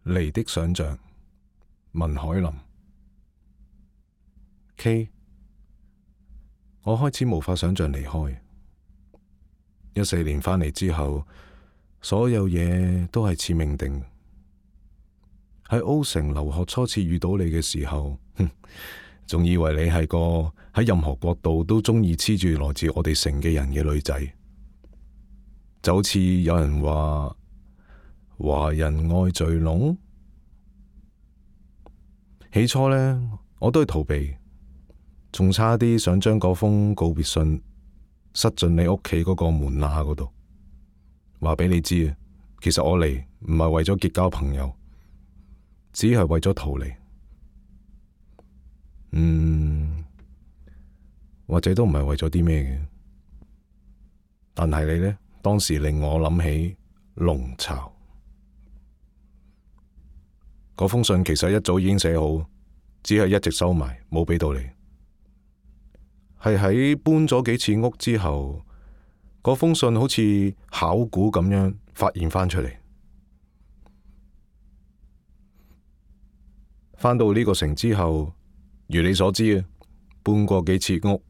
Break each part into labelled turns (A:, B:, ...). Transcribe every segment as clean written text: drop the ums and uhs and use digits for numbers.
A: 離的想象，文海林。K， 我開始無法想象離開。14年返嚟之後，所有嘢都係似命定。喺 O 城留學初次遇到你嘅時候，仲以為你係個喺任何國度都中意黐住來自我哋城嘅人嘅女仔，就好似有人話華人愛聚攏。起初呢，我都係逃避，仲差啲想將嗰封告別信塞進你屋企嗰個門罅嗰度，話俾你知啊，其實我嚟唔係為咗結交朋友，只係為咗逃離。或者都唔係為咗啲咩嘅，但係你呢，當時令我諗起龍巢。嗰封信其實一早已經寫好，只係一直收埋，冇俾到你。係喺搬咗幾次屋之後，嗰封信好似考古咁樣發現翻出嚟。翻到呢個城之後，如你所知啊，搬過幾次屋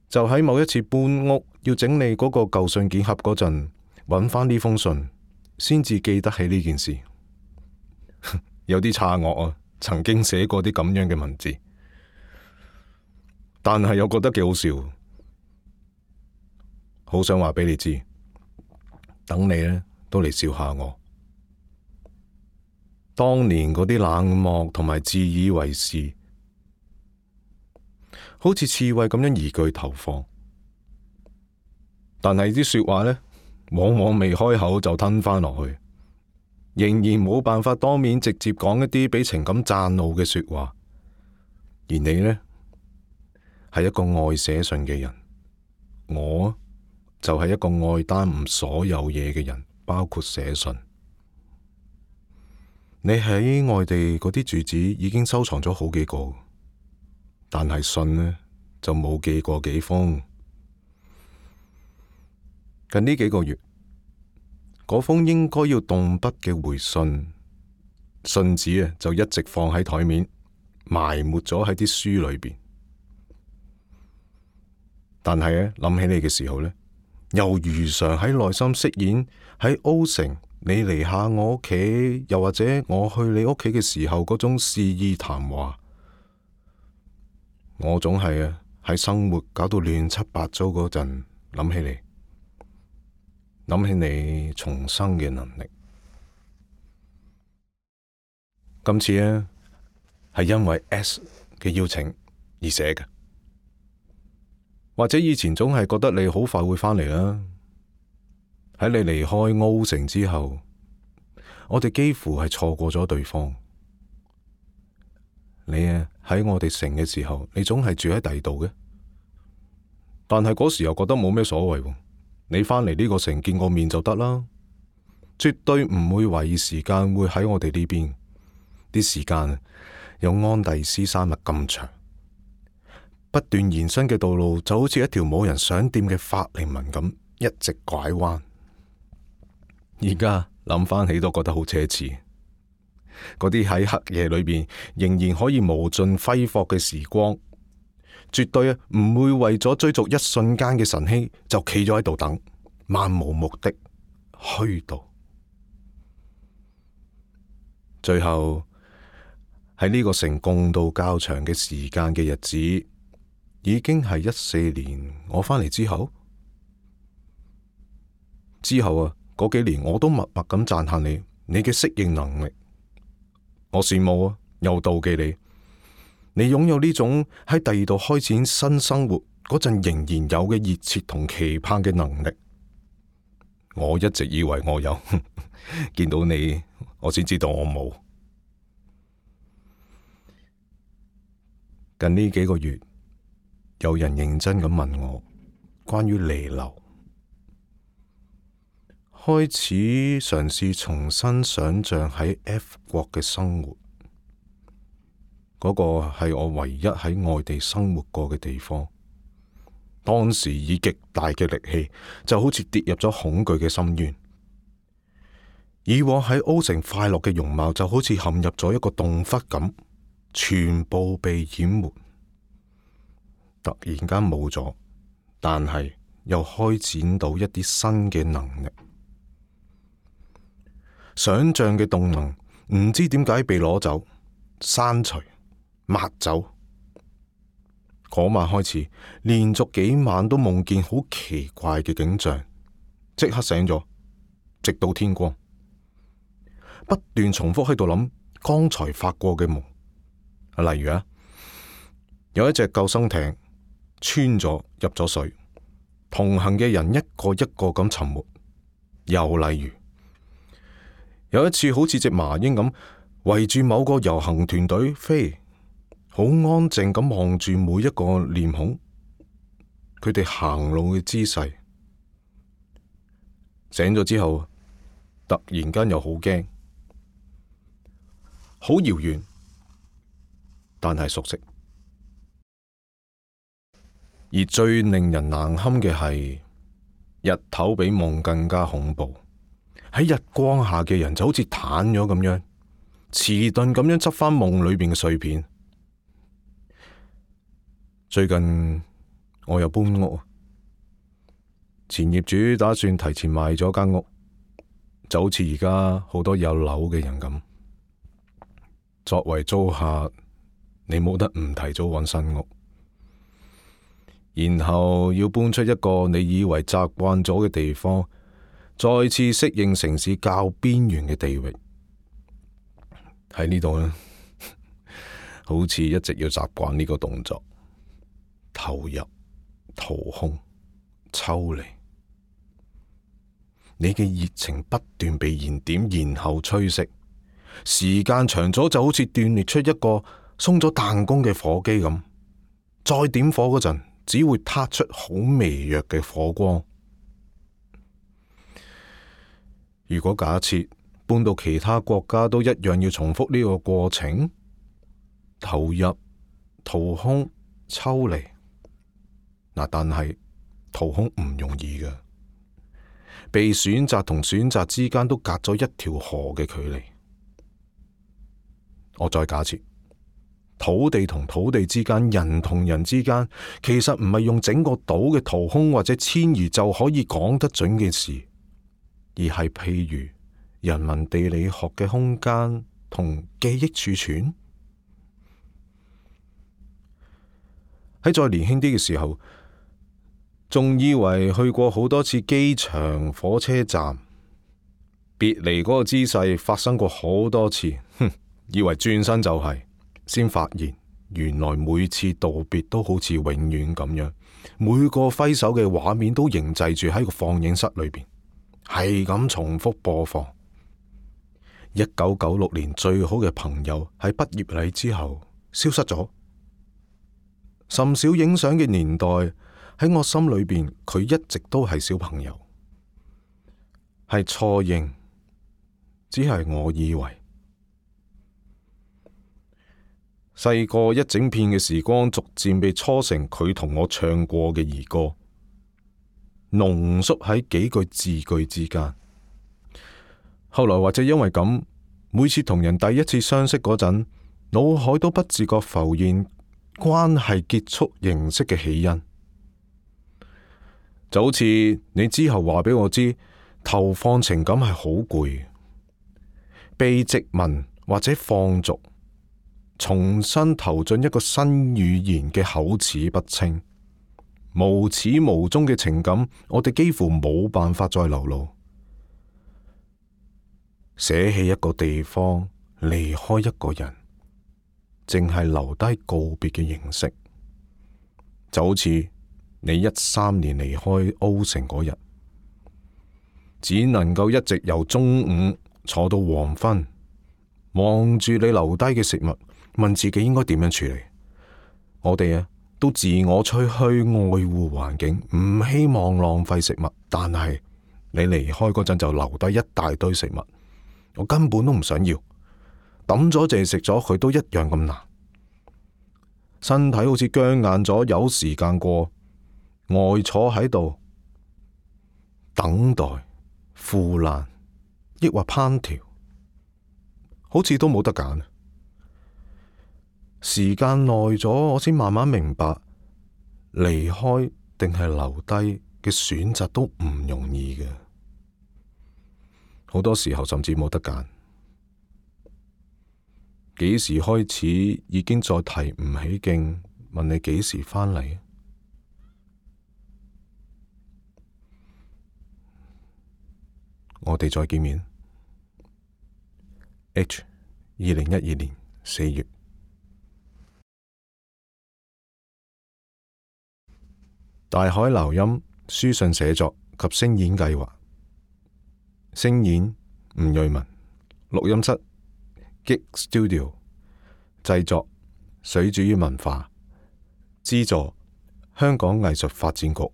A: 就喺某一次搬屋要整理嗰個舊信件盒嗰陣，揾翻呢封信，先至記得起呢件事。有啲詫愕啊，曾經寫過啲咁樣嘅文字，但係又覺得幾好笑，好想話俾你知，等你呢都嚟笑下我。當年嗰啲冷漠同埋自以為是，好似刺蝟咁樣一句投放，但係啲說話呢，往往未開口就吞翻落去，仍然冇辦法當面直接講一啲俾情感讚怒嘅說話。而你呢，係一個愛寫信嘅人，我就係一個愛耽誤所有嘢嘅人，包括寫信。你喺外地嗰啲住址已經收藏咗好幾個，但係信呢就冇寄過幾封。近呢幾個月，嗰封應該要動筆嘅回信，信紙啊就一直放喺台面，埋沒咗喺啲書裏邊。但係咧諗起你嘅時候呢，又如常喺內心飾演喺 O 城，你嚟下我屋企，又或者我去你屋企嘅時候嗰種肆意談話。我總係喺生活搞到亂七八糟嗰陣諗起你，諗起你重生嘅能力。今次呢，係因為 S 嘅邀請而寫嘅，或者以前總係覺得你好快會返嚟啦。喺你離開 O 城之後，我哋幾乎係錯過咗對方。你喺我哋城嘅時候，你總係住喺第二度嘅，但係嗰時又覺得冇咩所謂。你返嚟呢個城見個面就得啦，絕對唔會懷疑時間會喺我哋呢邊。啲時間有安第斯山脈咁長，不斷延伸嘅道路就好似一條冇人想掂嘅法令紋咁，一直拐彎。而家諗翻起都覺得好奢侈，嗰啲喺黑夜裏邊仍然可以無盡揮霍嘅時光，絕對唔會為咗追逐一瞬間嘅晨曦就企咗喺度等，漫無目的虛度。最後喺呢個城共度較長嘅時間嘅日子，已經係14年我返嚟之後嗰幾年我都默默咁讚嘆你嘅適應能力。我羨慕又妒忌你擁有呢種喺第二度開展新生活嗰陣仍然有嘅熱切同期盼嘅能力。我一直以為我有，見到你我先知道我冇。近呢幾個月，有人認真咁問我關於離流。開始嘗試重新想象喺 F 國嘅生活，嗰個係我唯一喺外地生活過嘅地方。當時以極大嘅力氣，就好似跌入咗恐懼嘅深淵。以往喺 O 城快樂嘅容貌就好似陷入咗一個洞窟咁，全部被淹沒。突然間冇咗，但係又開展到一啲新嘅能力，想象嘅動能唔知點解被攞走、刪除、抹走。嗰晚開始，連續幾晚都夢見好奇怪嘅景象，即刻醒咗，直到天光，不斷重複喺度諗剛才發過嘅夢。例如有一隻救生艇穿咗入咗水，同行嘅人一個一個咁沉沒。又例如有一次好似隻麻鷹咁圍住某個遊行團隊飛，好安靜咁望住每一個臉孔，佢哋行路嘅姿勢。醒咗之後，突然間又好驚，好遙遠，但係熟悉。而最令人難堪嘅係，日頭比夢更加恐怖。喺日光下嘅人就好似癱咗咁樣，遲鈍咁樣執翻夢裏邊嘅碎片。最近我又搬屋，前業主打算提前賣咗間屋，就好似而家好多有樓嘅人咁。作為租客，你冇得唔提早揾新屋，然後要搬出一個你以為習慣咗嘅地方，再次適應城市較邊緣嘅地域。喺呢度呢，好似一直要習慣呢個動作，投入、掏空、抽離。你嘅熱情不斷被燃點，然後吹熄。時間長咗就好似斷裂出一個鬆咗彈弓嘅火機咁，再點火嗰陣，只會撻出好微弱嘅火光。如果假設搬到其他國家都一樣要重複呢個過程，投入、掏空、抽離，但係掏空唔容易嘅，被選擇同選擇之間都隔咗一條河嘅距離。我再假設土地同土地之間，人同人之間，其實唔係用整個島嘅掏空或者遷移就可以講得準嘅事，而係譬如人文地理學嘅空間同記憶儲存。喺再年輕啲嘅時候，仲以為去過好多次機場、火車站，別離嗰個姿勢發生過好多次，以為轉身就係，先發現原來每次道別都好似永遠咁樣，每個揮手嘅畫面都凝滯住喺個放映室裏邊，係咁重複播放。1996年最好嘅朋友喺畢業禮之後消失咗，甚少影相嘅年代喺我心裏邊，佢一直都係小朋友，係錯認，只係我以為。細個一整片嘅時光，逐漸被搓成佢同我唱過嘅兒歌，濃縮喺幾句字句之間。後來或者因為咁，每次同人第一次相識嗰陣，腦海都不自覺浮現關係結束形式嘅起因。就好似你之後話俾我知，投放情感係好攰，被殖民或者放逐，重新投進一個新語言嘅口齒不清、無始無終嘅情感，我哋幾乎冇辦法再流露。捨棄一個地方，離開一個人，淨係留低告別嘅形式，就好似你13年離開 O 城嗰日，只能夠一直由中午坐到黃昏，望住你留低嘅食物，問自己應該點樣處理。我哋都自我吹噓愛護環境，唔希望浪費食物，但係你離開嗰陣就留低一大堆食物，我根本都唔想要，抌咗淨係食咗佢都一樣咁難。身體好似僵硬咗，有時間過，呆坐喺度等待腐爛，抑或烹調，好似都冇得揀。時間耐咗，我先慢慢明白，離開定係留低嘅選擇都唔容易嘅。好多時候甚至冇得揀。幾時開始已經再提唔起勁，問你幾時返嚟？我哋再見面。H 2012年4月。大海撈音書信寫作及聲演計劃，聲演吳瑞文，錄音室 Gig Studio， 製作水煮魚文化，資助香港藝術發展局。